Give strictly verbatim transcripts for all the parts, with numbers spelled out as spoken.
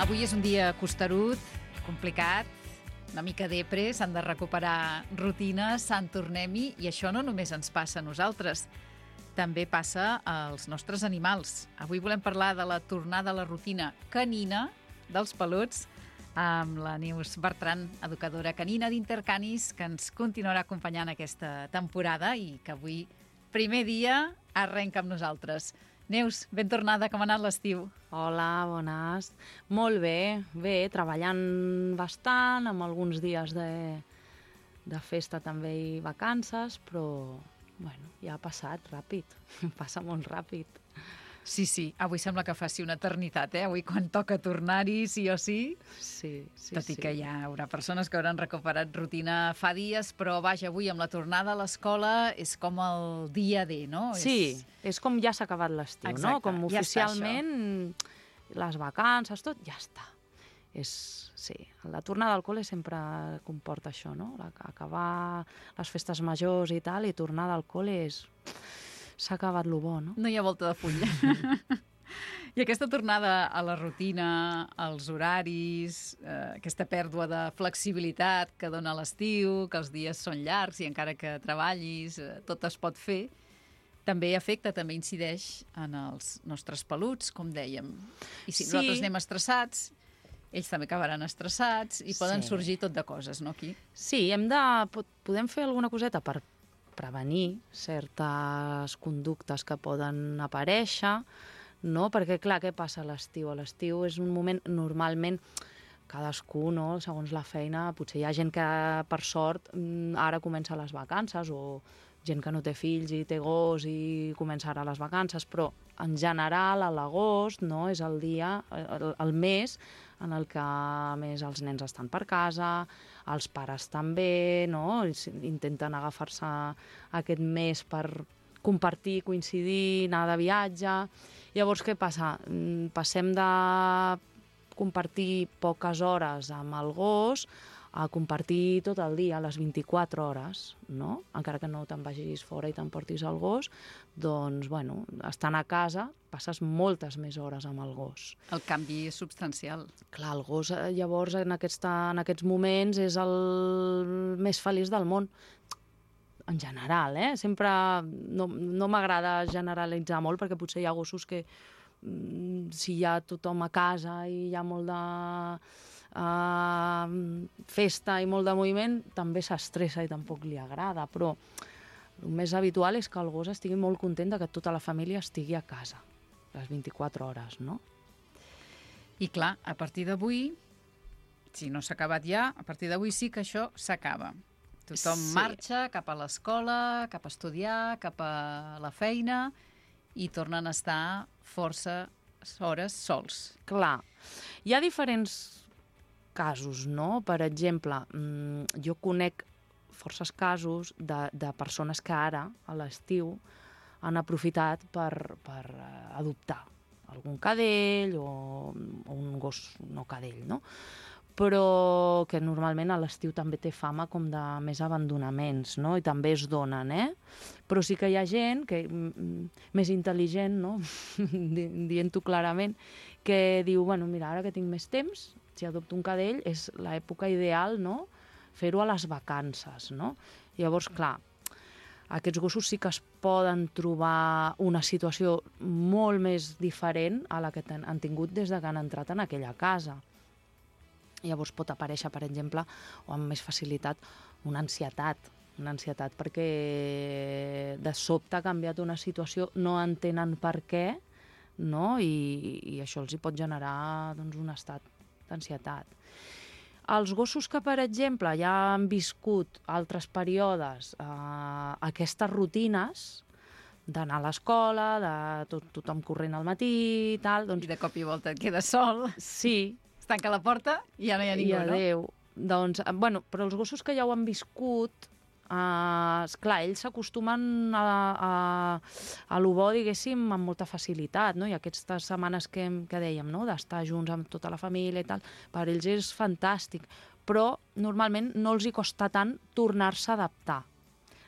Avui és un dia costerut, complicat, una mica depre, s'han de recuperar rutines, sant tornem-hi, i això no només ens passa a nosaltres, també passa als nostres animals. Avui volem parlar de la tornada a la rutina canina dels peluts amb la Neus Bertran, educadora canina d'Intercanis, que ens continuarà acompanyant aquesta temporada i que avui, primer dia, arrenca amb nosaltres. Neus, ben tornada, com ha anat l'estiu? Hola, bones. Molt bé, bé, treballant bastant, amb alguns dies de, de festa també i vacances, però bueno, ja ha passat ràpid, passa molt ràpid. Sí, sí, avui sembla que faci una eternitat, eh? Avui quan toca tornar-hi, sí o sí. Sí, sí, Tot i sí. que hi haurà persones que hauran recuperat rutina fa dies, però vaja, avui amb la tornada a l'escola és com el dia D, no? Sí, és... és com ja s'ha acabat l'estiu, no? Com ja oficialment les vacances, tot, ja està. És, sí, la tornada al col·le sempre comporta això, no? Acabar les festes majors i tal, i tornada al col·le és... s'ha acabat lo bo, no? No hi ha volta de full. I aquesta tornada a la rutina, als horaris, eh, aquesta pèrdua de flexibilitat que dona l'estiu, que els dies són llargs i encara que treballis, eh, tot es pot fer, també afecta, també incideix en els nostres peluts, com dèiem. I si Sí. nosaltres anem estressats, ells també acabaran estressats i poden Sí. sorgir tot de coses, no, aquí? Sí, hem de, podem fer alguna coseta per prevenir certes conductes que poden aparèixer, no? Perquè, clar, què passa a l'estiu? A l'estiu és un moment, normalment, cadascú, no? Segons la feina, potser hi ha gent que, per sort, ara comença les vacances, o gent que no té fills i té gos i comença ara les vacances, però en general a l'agost, no, és el dia, el, el mes en el que més els nens estan per casa, els pares també, no, intenten agafar-se aquest mes per compartir, coincidir, anar de viatge. Llavors, què passa? Passem de compartir poques hores amb el gos a compartir tot el dia, les vint-i-quatre hores, no? Encara que no te'n vagis fora i t'emportis el gos, doncs, bueno, estant a casa passes moltes més hores amb el gos. El canvi és substancial. Clar, el gos, llavors, en, aquesta, en aquests moments és el més feliç del món. En general, eh? Sempre no, no m'agrada generalitzar molt, perquè potser hi ha gossos que si hi ha tothom a casa i hi ha molt de uh, festa i molt de moviment, també s'estressa i tampoc li agrada, però el més habitual és que el gos estigui molt content de que tota la família estigui a casa les vint-i-quatre hores, no? I clar, a partir d'avui, si no s'ha acabat ja, a partir d'avui sí que això s'acaba. Tothom Sí. marxa cap a l'escola, cap a estudiar, cap a la feina, i tornen a estar força hores sols. Clar, hi ha diferents casos, no? Per exemple, jo conec forces casos de, de persones que ara, a l'estiu, han aprofitat per, per adoptar algun cadell o, o un gos no cadell, no? Però que normalment a l'estiu també té fama com de més abandonaments, no? I també es donen, eh? Però sí que hi ha gent que, més intel·ligent, no? Dient-ho clarament, que diu, bueno, mira, ara que tinc més temps, si adopto un cadell, és l'època ideal, no? Fer-ho a les vacances, no? Llavors, clar, aquests gossos sí que es poden trobar una situació molt més diferent a la que han tingut des de que han entrat en aquella casa. Llavors pot aparèixer, per exemple, o amb més facilitat, una ansietat, una ansietat perquè de sobte ha canviat una situació, no entenen per què, no? I, i això els hi pot generar, doncs, un estat d'ansietat. Els gossos que, per exemple, ja han viscut altres períodes eh, aquestes rutines d'anar a l'escola, de tot, tothom corrent al matí i tal, doncs... I de cop i volta et quedes sol, sí, es tanca la porta i ja no hi ha ningú, i adéu. No? Doncs, bueno, però els gossos que ja ho han viscut, eh, esclar, ells s'acostumen a, a, a lo bo, diguéssim, amb molta facilitat, no? I aquestes setmanes que, que dèiem, no? D'estar junts amb tota la família i tal, per ells és fantàstic, però normalment no els hi costa tant tornar-se a adaptar.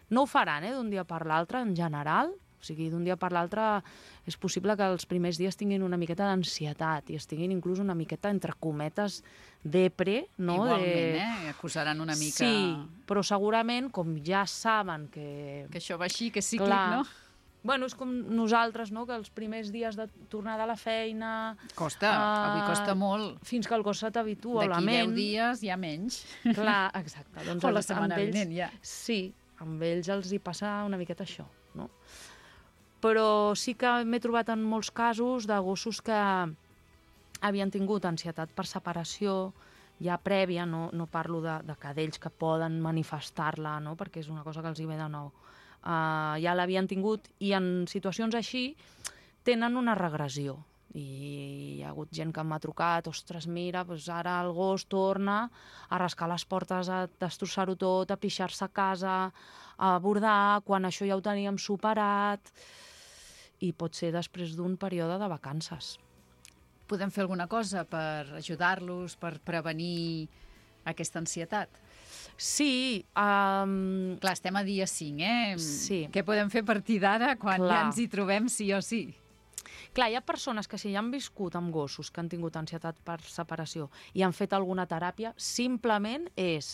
No ho faran, eh, d'un dia per l'altre, en general, O sigui, d'un dia per l'altre és possible que els primers dies tinguin una miqueta d'ansietat i es tinguin inclús una miqueta, entre cometes, depre, no? Igualment, de... eh? Acusaran una mica... Sí, però segurament, com ja saben que... Que això va així, que és cíclic, Clar, no? Bueno, és com nosaltres, no?, que els primers dies de tornada a la feina... Costa, uh, avui costa molt. Fins que el cos se t'habitua, la ment... D'aquí deu dies, ja menys. Clar, exacte. Doncs o la setmana ells, vinent, ja. Sí, amb ells els hi passa una miqueta això, no? Però sí que m'he trobat en molts casos de gossos que havien tingut ansietat per separació ja prèvia, no, no parlo de, de cadells que poden manifestar-la, no?, perquè és una cosa que els hi ve de nou. Uh, ja l'havien tingut i en situacions així tenen una regressió. I hi ha hagut gent que m'ha trucat, ostres, mira, doncs ara el gos torna a rascar les portes, a destrossar-ho tot, a pixar-se a casa, a bordar, quan això ja ho teníem superat, i pot ser després d'un període de vacances. Podem fer alguna cosa per ajudar-los, per prevenir aquesta ansietat? Sí. Um... Clar, estem a dia cinc, eh? Sí. Què podem fer a partir d'ara quan Clar. ja ens hi trobem sí o sí? Clar, hi ha persones que si ja han viscut amb gossos que han tingut ansietat per separació i han fet alguna teràpia, simplement és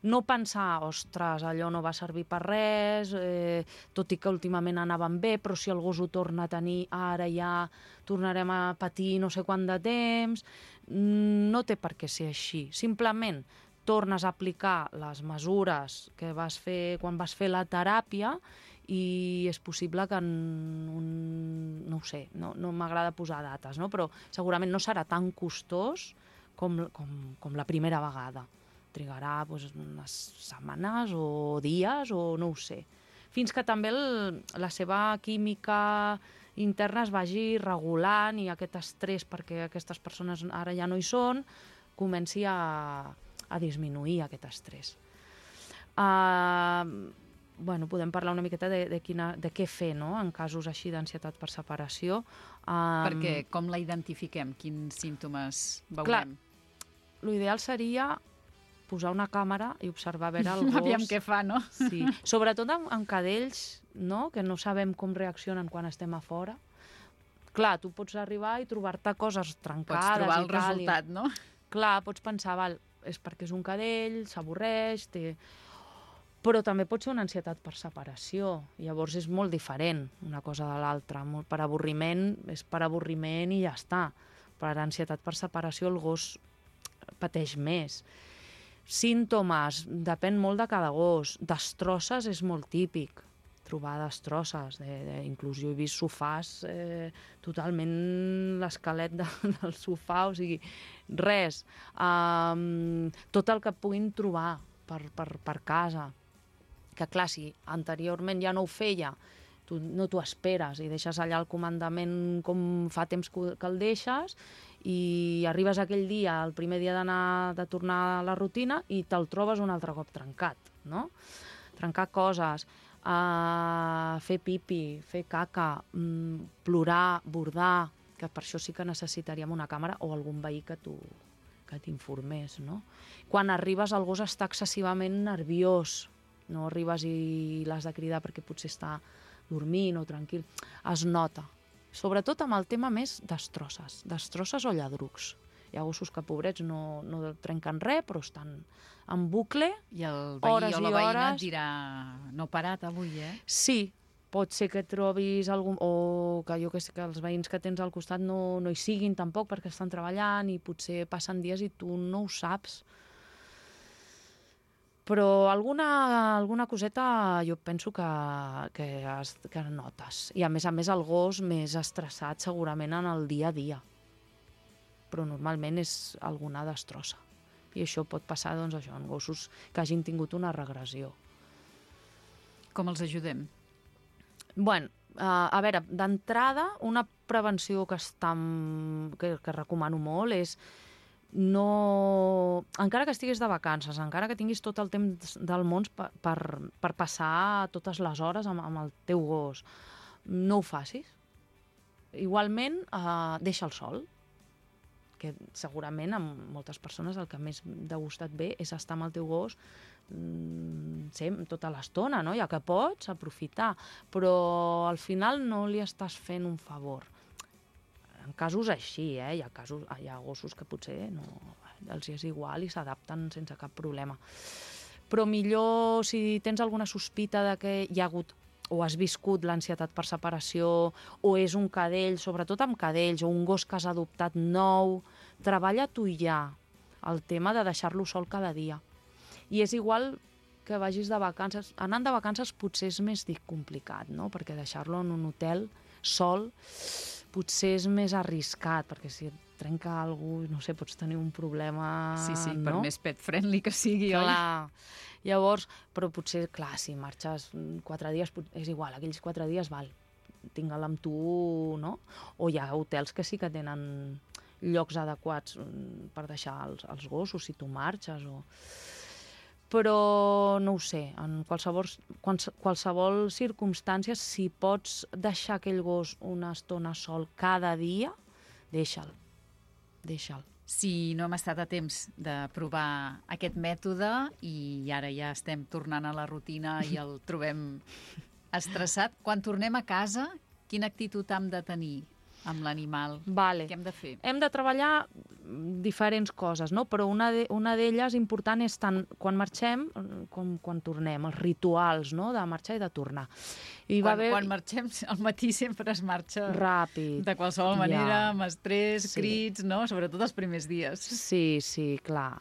no pensar, ostres, allò no va servir per res, eh, tot i que últimament anaven bé, però si el gos ho torna a tenir, ara ja tornarem a patir no sé quant de temps. No té per què ser així. Simplement tornes a aplicar les mesures que vas fer quan vas fer la teràpia i és possible que en un... no ho sé, no, no m'agrada posar dates, no? Però segurament no serà tan costós com, com, com la primera vegada. Trigarà doncs, unes setmanes o dies o no ho sé. Fins que també el, la seva química interna es vagi regulant i aquest estrès, perquè aquestes persones ara ja no hi són, comenci a, a disminuir aquest estrès. Uh, bueno, podem parlar una miqueta de, de, quina, de què fer, no?, en casos així d'ansietat per separació. Um, perquè com la identifiquem? Quins símptomes veurem? Clar, l'ideal seria posar una càmera i observar a veure el gos. Aviam què fa, no? Sí. Sobretot amb, amb cadells, no?, que no sabem com reaccionen quan estem a fora. Clar, tu pots arribar i trobar-te coses trencades pots trobar el i tal. resultat, i... no? Clar, pots pensar, val, és perquè és un cadell, s'avorreix, té... però també pot ser una ansietat per separació. Llavors és molt diferent una cosa de l'altra. Per avorriment és per avorriment i ja està. Per ansietat per separació el gos pateix més. Símptomes, depèn molt de cada gos. Destrosses és molt típic, trobar destrosses. De, de, inclús jo he vist sofàs, eh, totalment l'esquelet de, del sofà, o sigui, res. Um, tot el que puguin trobar per, per, per casa. Que clar, si anteriorment ja no ho feia, tu no t'ho esperes i deixes allà el comandament com fa temps que el deixes i arribes aquell dia, el primer dia d'anar de tornar a la rutina i te'l trobes un altre cop trencat, no? Trencar coses, uh, fer pipi, fer caca, um, plorar, bordar, que per això sí que necessitaríem una càmera o algun veí que tu que t'informés, no? Quan arribes el gos està excessivament nerviós, no arribes i l'has de cridar perquè potser està dormint o tranquil. Es nota. Sobretot amb el tema més destrosses. Destrosses o lladrucs. Hi ha gossos que, pobrets, no, no trenquen res, però estan en bucle, I el veí hores o la i veïna hores. et dirà no he parat avui, eh? Sí, pot ser que trobis algun... o que jo que sé que els veïns que tens al costat no, no hi siguin tampoc perquè estan treballant i potser passen dies i tu no ho saps. Però alguna, alguna coseta jo penso que, que, es, que notes. I a més a més el gos més estressat segurament en el dia a dia. Però normalment és alguna destrossa. I això pot passar, doncs, això, en gossos que hagin tingut una regressió. Com els ajudem? Bueno, uh, a veure, d'entrada, una prevenció que, està, que, que recomano molt és no... encara que estiguis de vacances, encara que tinguis tot el temps del món per, per, per passar totes les hores amb, amb el teu gos, no ho facis. Igualment, eh, deixa'l sol. que segurament a moltes persones el que més de gust et ve és estar amb el teu gos mmm, sem, tota l'estona, no? Ja que pots aprofitar, però al final no li estàs fent un favor. En casos així, eh? Hi ha, casos, hi ha gossos que potser no, els és igual i s'adapten sense cap problema. Però millor, si tens alguna sospita de que hi ha hagut o has viscut l'ansietat per separació, o és un cadell, sobretot amb cadells, o un gos que has adoptat nou, treballa tu i ja el tema de deixar-lo sol cada dia. I és igual que vagis de vacances. Anant de vacances potser és més complicat, no? Perquè deixar-lo en un hotel sol potser és més arriscat, perquè si et trenca alguna cosa, no sé, pots tenir un problema... Sí, sí, no? Per més pet-friendly que sigui, oi? Clar. Llavors, però potser, clar, si marxes quatre dies, és igual, aquells quatre dies, val, tingue'l amb tu, no? O hi ha hotels que sí que tenen llocs adequats per deixar els, els gossos, si tu marxes, o... Però, no ho sé, en qualsevol, qualsevol circumstància, si pots deixar aquell gos una estona sol cada dia, deixa'l, deixa'l. Si no hem estat a temps de provar aquest mètode i ara ja estem tornant a la rutina i el trobem estressat, quan tornem a casa, quina actitud hem de tenir amb l'animal? Vale. Què hem de fer? Hem de treballar diferents coses, no? Però una de, una d'elles important és tant quan marxem com quan tornem, els rituals, no? De marxar i de tornar. I quan, va haver... quan marxem, al matí sempre es marxa ràpid. De qualsevol manera, ja. Amb estrès, Sí. crits, no? Sobretot els primers dies. Sí, sí, clar.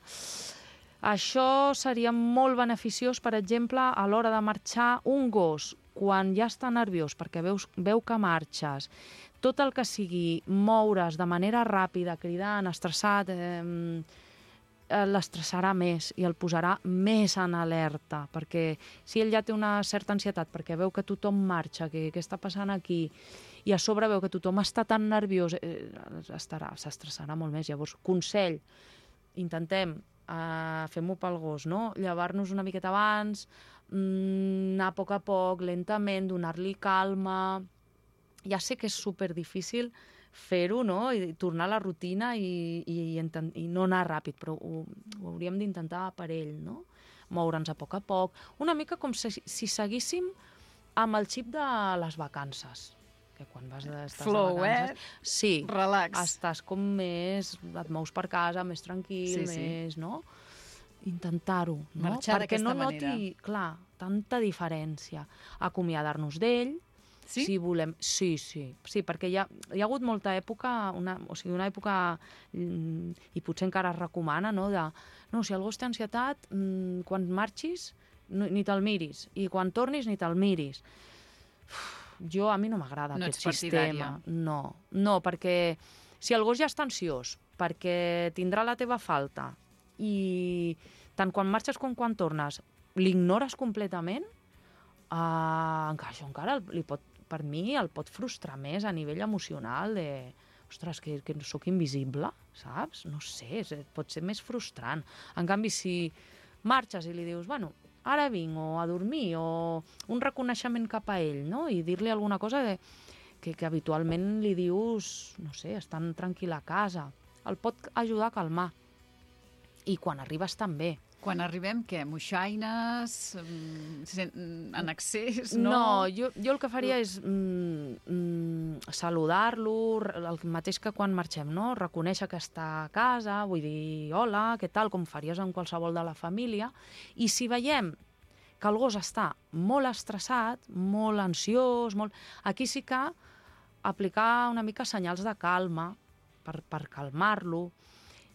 Això seria molt beneficiós, per exemple, a l'hora de marxar un gos, quan ja està nerviós perquè veus, veu que marxes, tot el que sigui moure's de manera ràpida, cridant, estressat, eh, l'estressarà més i el posarà més en alerta, perquè si ell ja té una certa ansietat perquè veu que tothom marxa, que què està passant aquí, i a sobre veu que tothom està tan nerviós, eh, estarà, s'estressarà molt més. Llavors, consell, intentem, eh, fem-ho pel gos, no? Llevar-nos una miqueta abans, mm, anar a poc a poc, lentament, donar-li calma. Ja sé que és superdifícil fer-ho, no? I tornar a la rutina i, i, i no anar ràpid, però ho, ho hauríem d'intentar per ell, no? Moure'ns a poc a poc. Una mica com si, si seguíssim amb el xip de les vacances. Que quan vas de, estàs Flow, de vacances... eh? Sí. Relax. Estàs com més... Et mous per casa, més tranquil, Sí, sí. més, no? Intentar-ho, no? Marxar Perquè no d'aquesta noti, clar, tanta diferència. Acomiadar-nos d'ell. Sí? Si volem... Sí, sí. Sí, perquè hi ha, hi ha hagut molta època, una, o sigui, una època, mm, i potser encara es recomana, no? De, no, si el gos té ansietat, mm, quan marxis, no, ni te'l miris. I quan tornis, ni te'l miris. Uf, jo, a mi no m'agrada no aquest ets sistema. No, no, perquè si el gos ja està ansiós, perquè tindrà la teva falta, i tant quan marxes com quan tornes, l'ignores completament, uh, encara, això encara li pot, per mi el pot frustrar més a nivell emocional de, ostres, que, que sóc invisible, saps? No sé, pot ser més frustrant. En canvi, si marxes i li dius, bueno, ara vinc, o a dormir, o un reconeixement cap a ell, no? I dir-li alguna cosa de, que, que habitualment li dius, no sé, estan tranquil a casa, el pot ajudar a calmar. I quan arribes també. Quan arribem, què? Moixaines? En excés? No, no jo, jo el que faria és mm, mm, saludar-lo, el mateix que quan marxem, no? Reconèixer que està a casa, vull dir, hola, què tal, com faries amb qualsevol de la família. I si veiem que el gos està molt estressat, molt ansiós, molt... aquí sí que aplicar una mica senyals de calma per, per calmar-lo.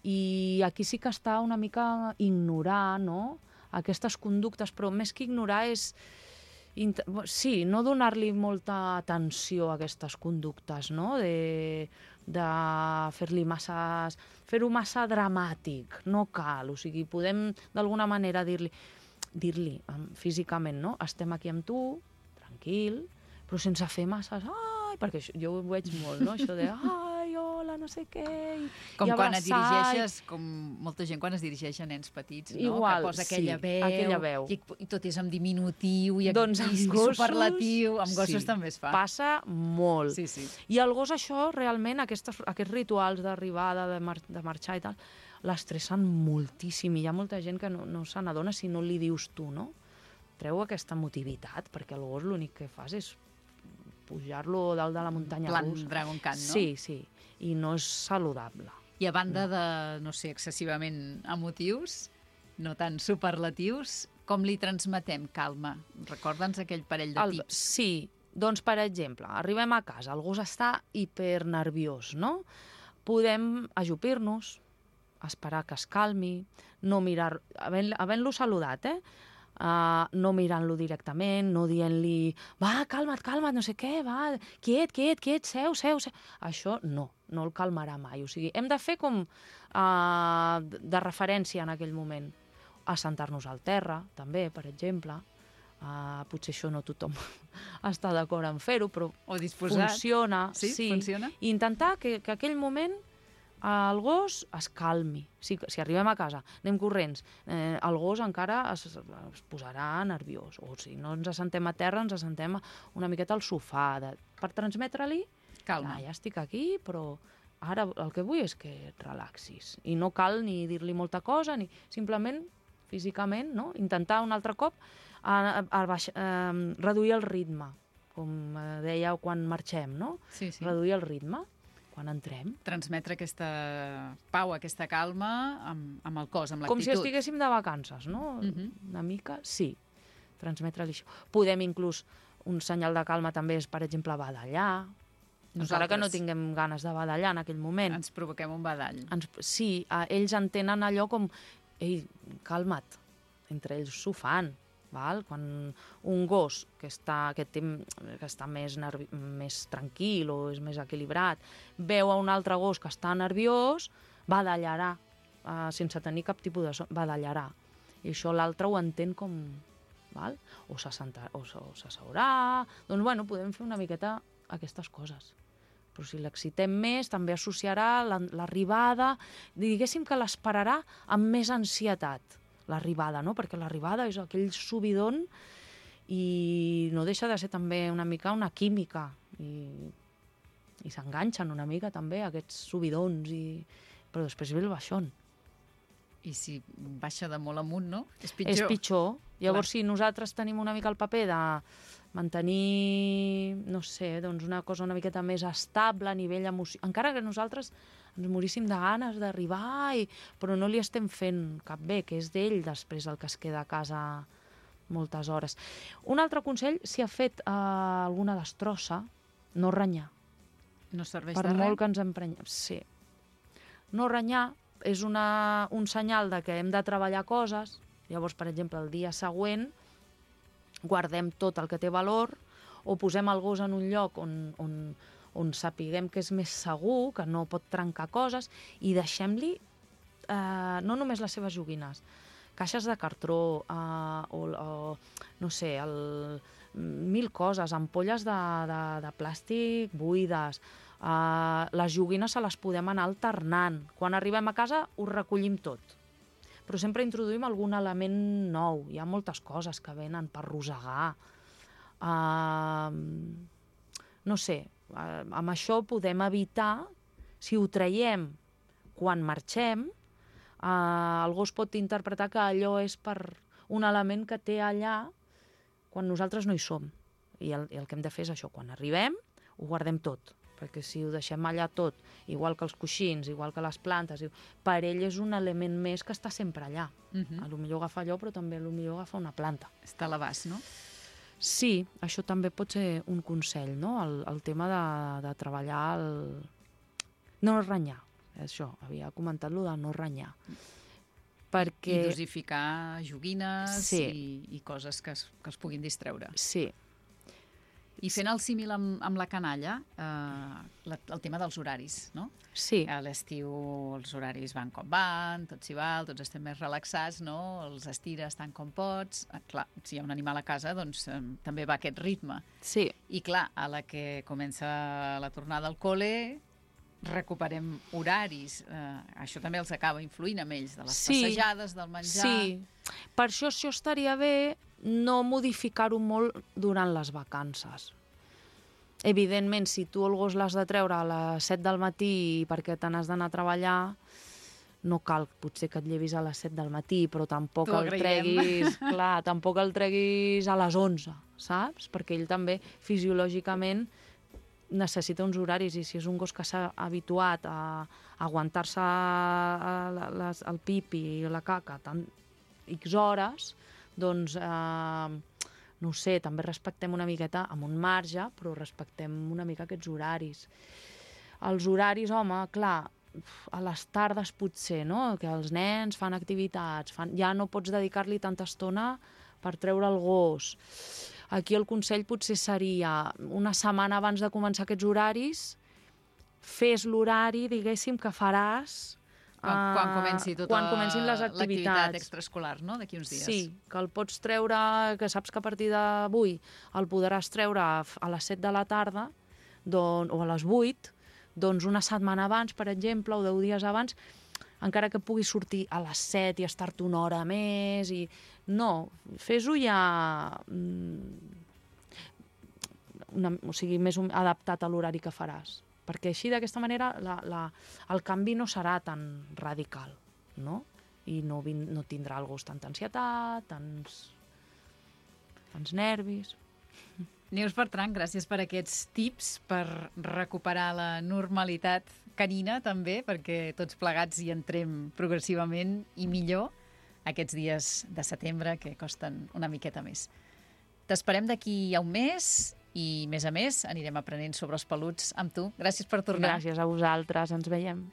I aquí sí que està una mica ignorar, no?, aquestes conductes, però més que ignorar és... Sí, no donar-li molta atenció a aquestes conductes, no?, de, de fer-li massa... fer-ho massa dramàtic, no cal, o sigui, podem d'alguna manera dir-li, dir-li físicament, no?, estem aquí amb tu, tranquil, però sense fer massa... Ai, perquè jo ho veig molt, no?, això de... Ai, hola... hola, no sé què, i, com i quan et abraçar. dirigeixes, com molta gent quan es dirigeix a nens petits, no? Igual, que posa aquella, sí, veu, aquella veu. I, i tot és amb diminutiu i, Doncs i, amb i gossos, superlatiu, amb gossos sí, també es fa. Passa molt. Sí, sí. I el gos això, realment, aquests, aquests rituals d'arribada, de, mar de marxar i tal, l'estressen moltíssim, i hi ha molta gent que no, no se n'adona si no li dius tu, no? Treu aquesta motivitat, perquè el gos l'únic que fas és pujar-lo dalt de la muntanya Plan russa. Dragon Khan, no? Sí, sí, i no és saludable. I a banda de, no sé, excessivament emotius, no tan superlatius, com li transmetem calma? Recorda'ns aquell parell de El, tips. sí, doncs, per exemple, arribem a casa, el gos està hipernerviós, no? Podem ajupir-nos, esperar que es calmi, no mirar... Havent-lo havent saludat, eh? Uh, no mirant-lo directament, no dient-li va, calma't, calma't, no sé què, va, quiet, quiet, quiet, seu, seu, seu. Això no, no el calmarà mai. O sigui, hem de fer com uh, de referència en aquell moment. Assentar-nos al terra, també, per exemple. Uh, potser això no tothom està d'acord en fer-ho, però o disposat. Funciona. Sí, sí. funciona? I intentar que, que aquell moment el gos es calmi. Si, si arribem a casa, anem corrents, eh, el gos encara es, es posarà nerviós. O si no ens assentem a terra, ens assentem una miqueta al sofà, de, per transmetre-li calma. Ah, ja estic aquí, però ara el que vull és que et relaxis. I no cal ni dir-li molta cosa, ni simplement, físicament, no? Intentar un altre cop a, a, a baix, a, reduir el ritme, com deia quan marxem, no? Sí, sí. Reduir el ritme quan entrem. Transmetre aquesta pau, aquesta calma amb, amb el cos, amb l'actitud. Com si estiguéssim de vacances, no? Uh -huh. Una mica, sí. Transmetre-li això. Podem inclús, un senyal de calma també és, per exemple, badallar. Encara que no tinguem ganes de badallar en aquell moment. Ens provoquem un badall. Ens, sí, eh, ells entenen allò com ei, calma't. Entre ells s'ho fan. Val? Quan un gos que està, que té, que està més, nervi, més tranquil o és més equilibrat veu a un altre gos que està nerviós, badallarà, uh, sense tenir cap tipus de son, badallarà. I això l'altre ho entén com... Val? O s'asseurà... Doncs, bueno, podem fer una miqueta aquestes coses. Però si l'excitem més, també associarà l'arribada... Diguéssim que l'esperarà amb més ansietat, l'arribada, no? Perquè l'arribada és aquell subidon i no deixa de ser també una mica una química i, i s'enganxen una mica també aquests subidons, i... però després ve el baixón. I si baixa de molt amunt, no? És pitjor. És pitjor. Llavors, Clar. si nosaltres tenim una mica el paper de mantenir, no sé, doncs una cosa una miqueta més estable a nivell emocional, encara que nosaltres ens moríssim de ganes d'arribar, i... però no li estem fent cap bé, que és d'ell després el que es queda a casa moltes hores. Un altre consell, si ha fet eh, alguna destrossa, no renyar. No serveix per de res? molt que ens emprenyem. Sí. No renyar és una, un senyal de que hem de treballar coses. Llavors, per exemple, el dia següent guardem tot el que té valor o posem el gos en un lloc on... on on sapiguem que és més segur, que no pot trencar coses, i deixem-li eh, no només les seves joguines, caixes de cartró, eh, o, o no sé, el, mil coses, ampolles de, de, de plàstic buides, eh, les joguines se les podem anar alternant. Quan arribem a casa ho recollim tot. Però sempre introduïm algun element nou. Hi ha moltes coses que venen per rosegar. Eh, no sé, Uh, amb això podem evitar, si ho traiem quan marxem, uh, el gos pot interpretar que allò és per un element que té allà quan nosaltres no hi som. I el, el que hem de fer és això, quan arribem ho guardem tot, perquè si ho deixem allà tot, igual que els coixins, igual que les plantes, per ell és un element més que està sempre allà. Uh -huh. A lo millor agafa allò, però també a lo millor agafa una planta. Està a l'abast, no? Sí, això també pot ser un consell, no? El, el tema de, de treballar el... no renyar, això, havia comentat-lo de no renyar. Perquè... I dosificar joguines, sí. i, i coses que es, que es puguin distreure. Sí. I fent el símil amb, amb la canalla, eh, la, el tema dels horaris, no? Sí. A l'estiu els horaris van com van, tot s'hi val, tots estem més relaxats, no? Els estires tant com pots. Eh, clar, si hi ha un animal a casa, doncs eh, també va aquest ritme. Sí. I clar, a la que comença la tornada al col·le, recuperem horaris. Eh, això també els acaba influint amb ells, de les Sí, passejades, del menjar... Sí, per això això estaria bé no modificar-ho molt durant les vacances. Evidentment, si tu el gos l'has de treure a les set del matí perquè te n'has d'anar a treballar, no cal potser que et llevis a les set del matí, però tampoc T'ho el agrairem. treguis, clar, tampoc el treguis a les onze, saps? Perquè ell també fisiològicament necessita uns horaris, i si és un gos que s'ha habituat a, a aguantar-se a les, el pipi i la caca tant X hores, doncs, eh, no ho sé, també respectem una miqueta amb un marge, però respectem una mica aquests horaris. Els horaris, home, clar, a les tardes potser, no?, que els nens fan activitats, fan... ja no pots dedicar-li tanta estona per treure el gos. Aquí el consell potser seria una setmana abans de començar aquests horaris, fes l'horari, diguéssim, que faràs Quan, quan comenci tota quan comencin les l'activitat activitats extraescolar, no?, d'aquí uns dies. Sí, que el pots treure, que saps que a partir d'avui el podràs treure a les set de la tarda don, o a les vuit, doncs una setmana abans, per exemple, o deu dies abans, encara que puguis sortir a les set i estar-te una hora més. I... No, fes-ho ja una, o sigui, més adaptat a l'horari que faràs. Perquè així, d'aquesta manera, la, la, el canvi no serà tan radical, no? I no, vin, no tindrà el gos tanta ansietat, tants, tants nervis... Neus Bertran, gràcies per aquests tips per recuperar la normalitat canina també, perquè tots plegats hi entrem progressivament i millor aquests dies de setembre que costen una miqueta més. T'esperem d'aquí a un mes i, més a més, anirem aprenent sobre els peluts amb tu. Gràcies per tornar. Gràcies a vosaltres, ens veiem.